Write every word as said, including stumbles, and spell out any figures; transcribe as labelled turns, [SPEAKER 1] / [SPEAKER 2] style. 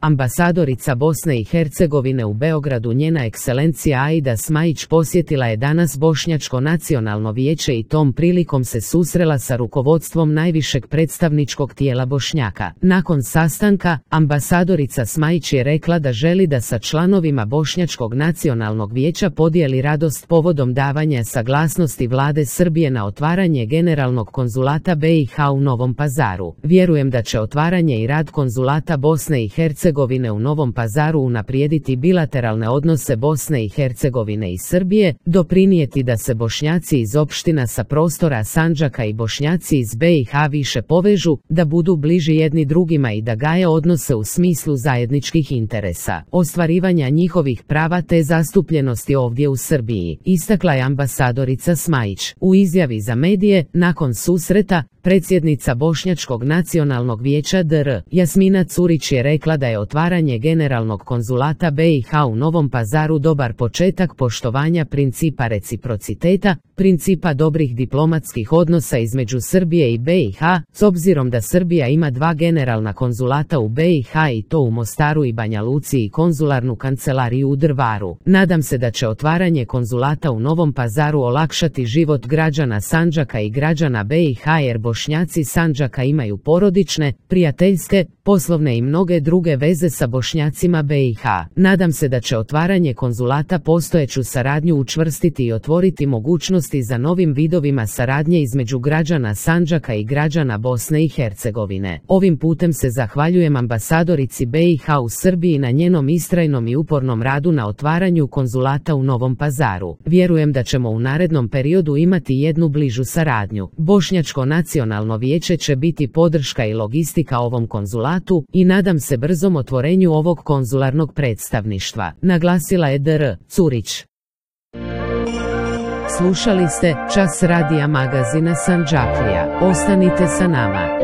[SPEAKER 1] Ambasadorica Bosne i Hercegovine u Beogradu njena ekscelencija Aida Smajić posjetila je danas Bošnjačko nacionalno vijeće i tom prilikom se susrela sa rukovodstvom najvišeg predstavničkog tijela Bošnjaka. Nakon sastanka, ambasadorica Smajić je rekla da želi da sa članovima Bošnjačkog nacionalnog vijeća podijeli radost povodom davanja saglasnosti vlade Srbije na otvaranje generalnog konzulata B i H u Novom Pazaru. Vjerujem da će otvaranje i rad konzulata Bosne i Hercegovine u Novom Pazaru unaprijediti bilateralne odnose Bosne i Hercegovine i Srbije, doprinijeti da se Bošnjaci iz opština sa prostora Sandžaka i Bošnjaci iz B i H više povežu, da budu bliži jedni drugima i da gaje odnose u smislu zajedničkih interesa, ostvarivanja njihovih prava te zastupljenosti ovdje u Srbiji, istakla je ambasadorica Smajić. U izjavi za medije, nakon susreta, predsjednica Bošnjačkog nacionalnog vijeća D R Jasmina Curić je rekla da je otvaranje generalnog konzulata B i H u Novom Pazaru dobar početak poštovanja principa reciprociteta, principa dobrih diplomatskih odnosa između Srbije i B i H, s obzirom da Srbija ima dva generalna konzulata u B i H i to u Mostaru i Banja Luci i konzularnu kancelariju u Drvaru. Nadam se da će otvaranje konzulata u Novom Pazaru olakšati život građana Sandžaka i građana B i H jer Bošnjaci Sandžaka imaju porodične, prijateljske, poslovne i mnoge druge veze sa Bošnjacima B i H. Nadam se da će otvaranje konzulata postojeću saradnju učvrstiti i otvoriti mogućnosti za novim vidovima saradnje između građana Sandžaka i građana Bosne i Hercegovine. Ovim putem se zahvaljujem ambasadorici B i H u Srbiji na njenom istrajnom i upornom radu na otvaranju konzulata u Novom Pazaru. Vjerujem da ćemo u narednom periodu imati jednu bližu saradnju. Bošnjačko nacionalno vijeće će biti podrška i logistika ovom konzulatu i nadam se brzom otvorenju ovog konzularnog predstavništva, naglasila je D R Curić. Slušali ste Čas radija magazina Sandžaklija. Ostanite sa nama.